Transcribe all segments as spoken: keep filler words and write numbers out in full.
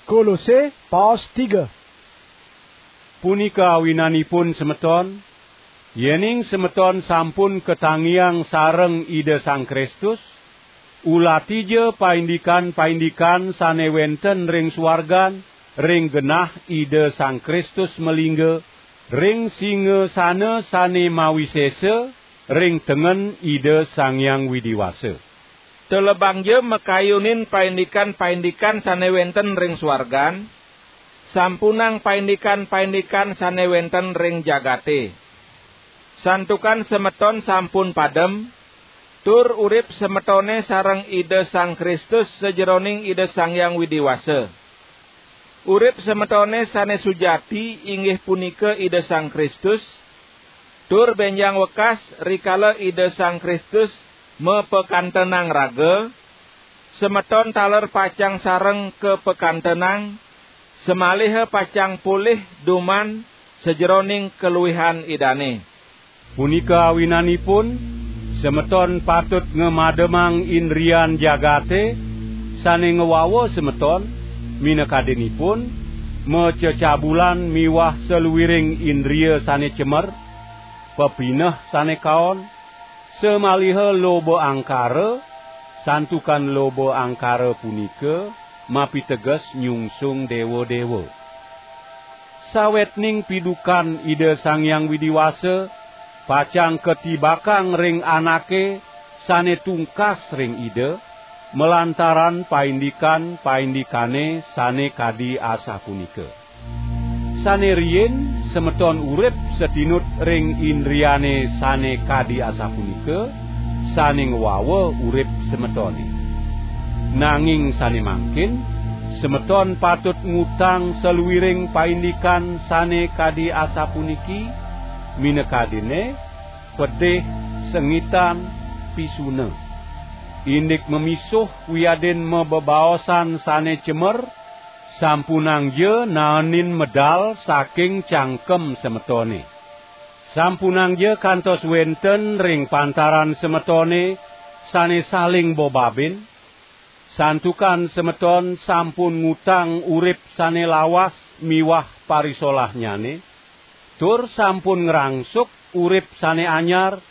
Kolose, paos tiga. Punika awinanipun, semeton, yening semeton sampun katangiang sareng Ida Sang Kristus, ulatija paindikan-paindikan sane wenten ring suargan, ring genah Ida Sang Kristus malingga, ring singasana sane mawisesa, ring tengen Ida Sang Hyang Widi Wasa. Telebangja makayunin paindikan-paindikan sane wenten ring suargan, sampunang paindikan-paindikan sane wenten ring jagate. Santukan semeton sampun padem, tur urip semetone sareng Ida Sang Kristus sajeroning Ida Sang Hyang Widi Wasa. Urip semetone sane sujati inggih punika Ida Sang Kristus, tur benjang wekas rikala Ida Sang Kristus mapakantenang raga, semeton taler pacang sareng kapakantenang, samaliha pacang polih duman sajeroning kaluihan Idane. Punika awinanipun, semeton patut ngamademang indrian jagate sane ngwawa semeton, minakadinipun, macecabulan miwah saluiring indria sane cemer, pepineh sane kaon, samaliha loba angkara, santukan loba angkara punika mapiteges nyungsung dewa-dewa. Sawetning pidukan Ida Sang Hyang Widi Wasa pacang katibakang ring anake sane tungkas ring Ida, malantaran paindikan-paindikane sane kadi asapunika. Sane riin semeton urip satinut ring indriane sane kadi asapunika, sane ngwawa urip semetone. Nanging sane mangkin, semeton patut ngutang saluiring paindikan sane kadi asapuniki, minakadine pedih, sengitan, pisuna. Indik mamisuh wiadin mabebaosan sane cemer, sampunangja naenin medal saking cangkem semetone. Sampunangja kantos wenten ring pantaran semetone sane saling bobabin, santukan semeton sampun ngutang urip sane lawas miwah parisolahnyane, tur sampun ngrangsuk urip sane anyar,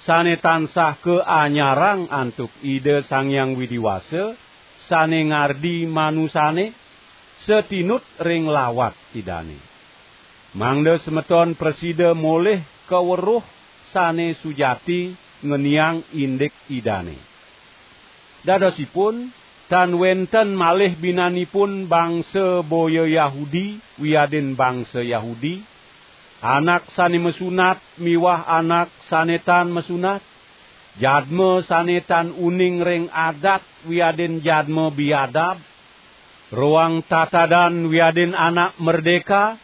sane tansah kaanyarang antuk Ida Sang Hyang Widi Wasa, sane ngardi manusane, satinut ring lawat Idane. Mangda semeton prasida molih kaweruh sane sujati ngeniang indik Idane. Dadosipun, tan wenten malih binanipun bangsa boya Yahudi wiadin bangsa Yahudi, anak sane masunat miwah anak sane tan masunat, jadma sane tan uning ring adat wiadin jadma biadab, roang tatadan wiadin anak merdeka,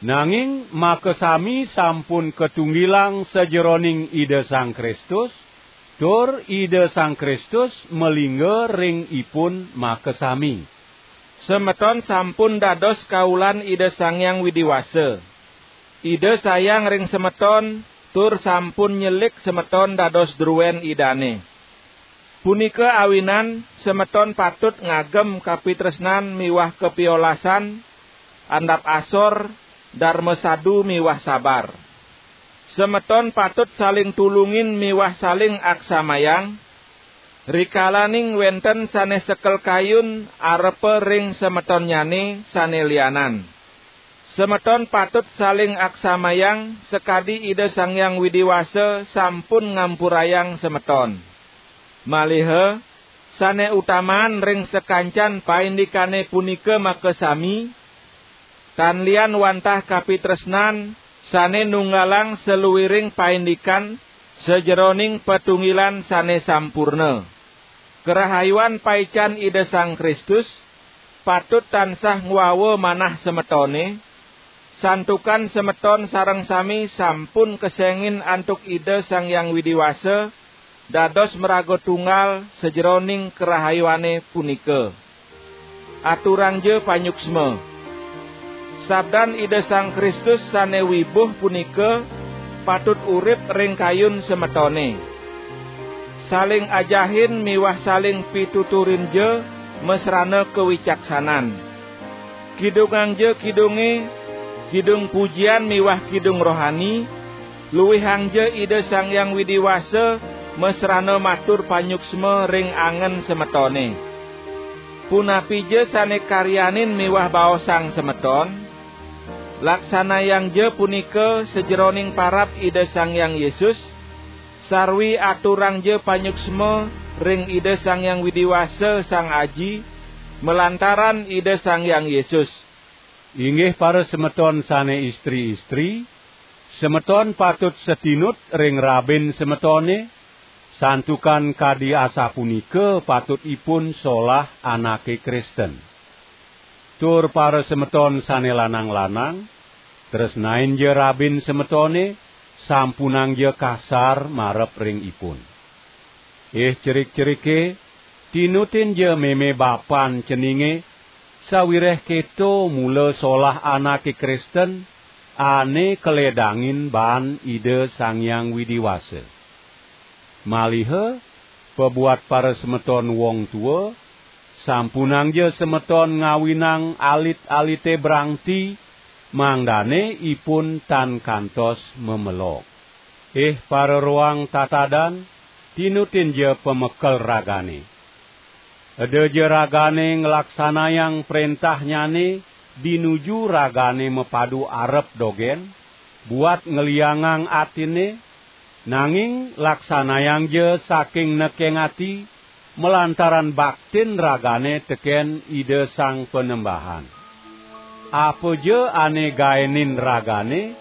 nanging makasami sampun katunggilang sajeroning Ida Sang Kristus, tur Ida Sang Kristus malingga ring ipun makasami. Semeton sampun dados kaulan Ida Sang Hyang Widi Wasa. Ida sayang ring semeton, tur sampun nyelik semeton dados druen Idane. Punika awinan semeton patut ngagem kapitresnan miwah kapiolasan, andap asor, darma sadu miwah sabar. Semeton patut saling tulungin miwah saling aksamayang, rikalaning wenten sane sekel kayun arepa ring semetonnyane sane lianan. Semeton patut saling aksamayang sakadi Ida Sang Hyang Widi Wasa sampun ngampurayang semeton. Maliha, sane utaman ring sakancan paindikane punika makasami, tan lian wantah kapitresnan sane nunggalang saluiring paindikan sajeroning patunggilan sane sampurna. Karahayuan paican Ida Sang Kristus patut tansah ngwawa manah semetone, santukan semeton sareng sami sampun kesengin antuk Ida Sang Hyang Widi Wasa, dados maraga tunggal sajeroning karahayuane punika. Aturangja panyuksma. Sabdan Ida Sang Kristus sane wibuh punika patut urip ring kayun semetone. Saling ajahin miwah saling pituturinja masrana kawicaksanan. Kidungangja kidunge, kidung pujian miwah kidung rohani, luihangja Ida Sang Hyang Widi Wasa masrana matur panyuksma ring angen semetone. Punapija sane karyanin miwah baosang semeton, laksanayangja punika sajeroning parab Ida Sang Hyang Yesus, sarwi aturangja panyuksma ring Ida Sang Hyang Widi Wasa Sang Aji, malantaran Ida Sang Hyang Yesus. Inggih parasemeton sane istri-istri, semeton patut satinut ring rabin semetone, santukan kadi asapunika patutipun solah anake Kristen. Tur parasemeton sane lanang-lanang, tresnainja rabin semetone, sampunangja kasar marep ring ipun. Ih cerik-cerike, tinutinja meme bapan ceninge, sawireh keto mula solah anake Kristen ane kaledangin baan Ida Sang Hyang Widi Wasa. Maliha pabuat parasemeton wong tua, sampunangja semeton ngawinang alit-alite brangti, mangdane ipun tan kantos mamelog. Ih pararoang tatadan, tinutinja pamekel ragane. Edaja ragane nglaksanayang prentahnyane dinuju ragane mapadu arep dogen, buat ngliangang atine, nanging laksanayangja saking nekeng ati, malantaran baktin ragane teken Ida Sang Panembahan. Apaja ane gaenin ragane,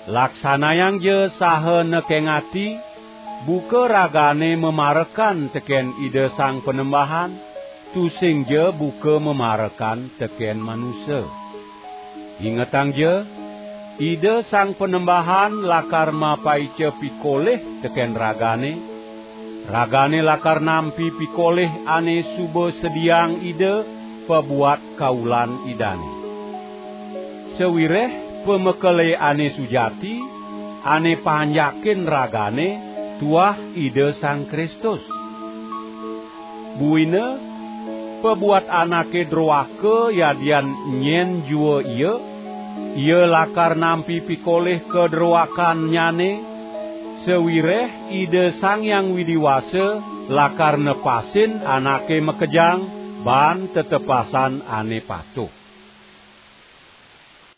laksanayangja saha nekeng ati, buka ragane mamarekan teken Ida Sang Panembahan, tusingja buka mamarekan teken manusa. Ingetangja, Ida Sang Panembahan lakar mapaica pikolih teken ragane, ragane lakar nampi pikolih ane suba sediaang Ida pabuat kaulan Idane. Sawireh pamekele ane sujati, ane panjakin ragane tuah Ida Sang Kristus. Buina, pabuat anake droaka yadian nyen jua ia, ia lakar nampi pikolih kadroakannyane, sawireh Ida Sang Hyang Widi Wasa lakar nepasin anake makejang baan tetepasan ane patuh.